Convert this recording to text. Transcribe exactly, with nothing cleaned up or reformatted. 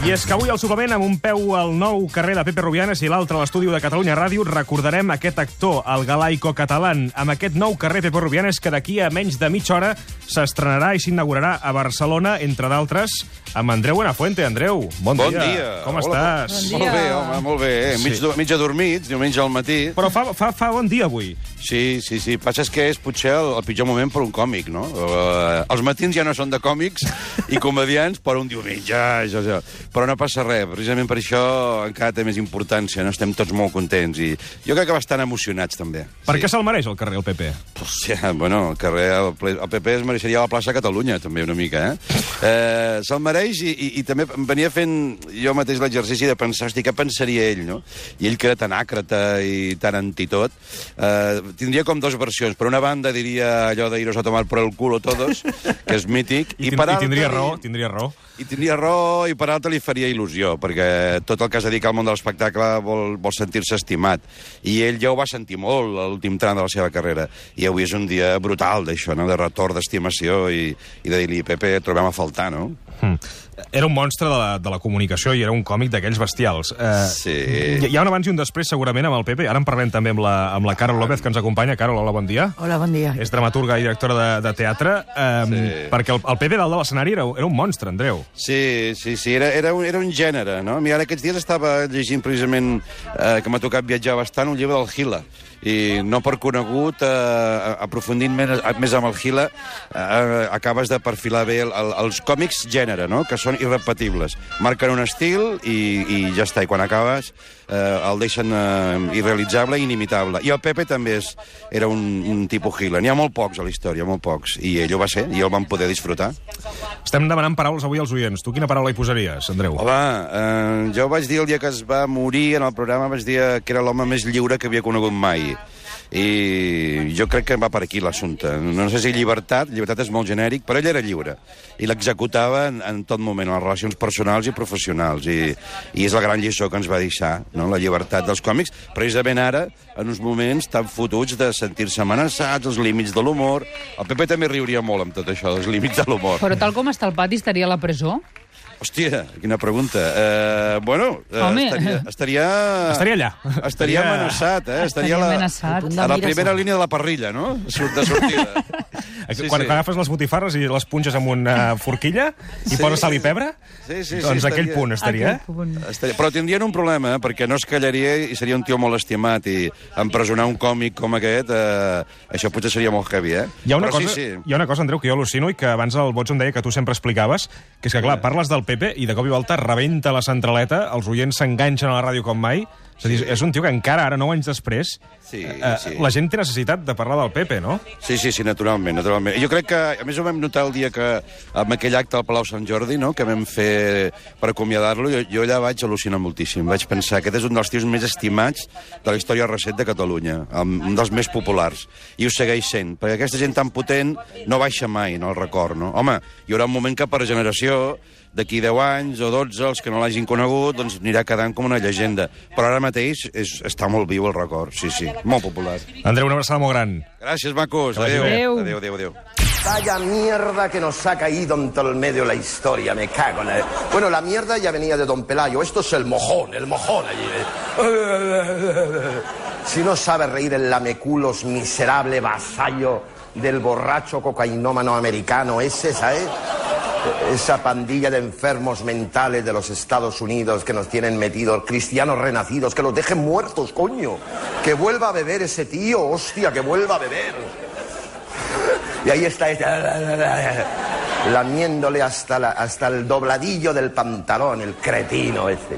I és que avui al suplement, amb un peu al nou carrer de Pepe Rubianes i l'altre a l'estudi de Catalunya Ràdio, recordarem aquest actor, el galaico-catalán, amb aquest nou carrer Pepe Rubianes que d'aquí a menys de mitja hora s'estrenarà i s'inaugurarà a Barcelona, entre d'altres, amb Andreu Buenafuente. Andreu, bon, bon dia. dia. Com Hola, estàs? Bon dia. Molt bé, home, molt bé. Eh? Mig, Sí. mig adormits, diumenge al matí. Però fa, fa, fa bon dia avui. Sí, sí, sí. Passa és que és potser el, el pitjor moment per un còmic, no? Uh, els matins ja no són de còmics i comedians per un diumenge. Això, això. Però no passa res. Precisament per això encara té més importància. No estem tots molt contents. I jo crec que bastant emocionats, també. Per sí. què se'l mereix el carrer, el Pepe? Hòstia, bueno, el carrer, el, ple, el P P es mereixeria la plaça Catalunya, també, una mica, eh? eh Se'l mereix i, i, i també em venia fent jo mateix l'exercici de pensar, hosti, què pensaria ell, no? I ell, que era tan àcrata i tan antitot, eh, tindria com dues versions. Per una banda diria allò de iros a tomar por el culo todos, que és mític, I, i, I, per i tindria altra, raó, tindria raó. I tindria raó, i per altra li faria il·lusió, perquè tot el que es dedica al món de l'espectacle vol, vol sentir-se estimat. I ell ja ho va sentir molt, a l'últim tram de la seva carrera. I avui és un dia brutal d'això, no? De retorn d'estimació i, i de dir-li, Pepe, et trobem a faltar, no? Hmm. Era un monstre de la, de la comunicació i era un còmic d'aquells bestials. Eh, sí. Hi ha un abans i un després, segurament, amb el Pepe. Ara en parlem també amb la, amb la Carol López, que ens acompanya. Carol, hola, bon dia. Hola, bon dia. És dramaturga i directora de, de teatre. Eh, Sí. Perquè el, el Pepe dalt de l'escenari era, era un monstre, Andreu. Sí, sí, sí, era, era, un, era un gènere, no? Mira, ara aquests dies estava llegint precisament, eh, que m'ha tocat viatjar bastant, un llibre del Gila. I no per conegut, eh, aprofundint més, més amb el Gila, eh, acabes de perfilar bé el, el, els còmics gènere, no? Que són irrepetibles. Marquen un estil i, i ja està. I quan acabes eh, el deixen eh, irrealitzable i inimitable. I el Pepe també és, era un, un tipus Gila. N'hi ha molt pocs a la història, molt pocs. I ell ho va ser, i el van poder disfrutar. Estem demanant paraules avui als oients. Tu quina paraula hi posaries, Andreu? Home, eh, jo vaig dir el dia que es va morir en el programa, vaig dir que era l'home més lliure que havia conegut mai. I jo crec que va per aquí l'assumpte. No sé si llibertat, llibertat és molt genèric, però ell era lliure. I l'executava en, en tot moment, en les relacions personals i professionals. I, i és la gran lliçó que ens va deixar, no? La llibertat dels còmics, precisament ara, en uns moments tan fotuts de sentir-se amenaçats, els límits de l'humor. El Pepe també riuria molt amb tot això, dels límits de l'humor. Però tal com està el pati, estaria a la presó? Hòstia, quina pregunta. Uh, bueno, uh, Home. estaria... Estaria, Estaria allà. Estaria Estaria- amenaçat, eh? Estaria a la, amenaçat. a la primera línia de la parrilla, no? Surt de sortida. Sí, quan, quan agafes les botifarres i les punxes amb una forquilla i Sí. poses sal i pebre, Sí, sí, sí, doncs estaria- aquell punt estaria. Aquell punt. Estaria... Però tindrien un problema, eh? Perquè no es callaria i seria un tio molt estimat, i empresonar un còmic com aquest, eh, això potser seria molt heavy, eh? Hi ha, una Però cosa, sí, sí. hi ha una cosa, Andreu, que jo al·lucino i que abans el Bots em deia que tu sempre explicaves, que és que, clar, parles del Pepe i de cop i volta rebenta la centraleta, els oients s'enganxen a la ràdio com mai. És a dir, és un tio que encara, ara, nou anys després, Sí, eh, sí. la gent té necessitat de parlar del Pepe, no? Sí, sí, sí, naturalment, naturalment. I jo crec que, a més, ho vam notar el dia que, amb aquell acte al Palau Sant Jordi, no?, que vam fer per acomiadar-lo, jo, jo allà vaig al·lucinar moltíssim. Vaig pensar que aquest és un dels tios més estimats de la història recent de Catalunya, un dels més populars. I ho segueix sent, perquè aquesta gent tan potent no baixa mai en el record, no? Home, hi haurà un moment que per generació, d'aquí deu anys o dotze, els que no l'hagin conegut, doncs anirà quedant com una llegenda. Però ara mateix és, està molt viu el record, sí, sí, molt popular. Andreu, una abraçada molt gran. Gràcies, macos. Que vagi Adéu. bé. Adéu, adéu, adéu. Vaya mierda que nos ha caído en todo el medio la historia, me cago en la... Bueno, la mierda ya venía de Don Pelayo, esto es el mojón, el mojón allí. Si no sabe reír el lameculos miserable vasallo del borracho cocainómano americano ese, ¿sabes? Esa pandilla de enfermos mentales de los Estados Unidos que nos tienen metidos, cristianos renacidos, que los dejen muertos, coño. Que vuelva a beber ese tío, hostia, que vuelva a beber. Y ahí está este, lamiéndole hasta, la, hasta el dobladillo del pantalón, el cretino este.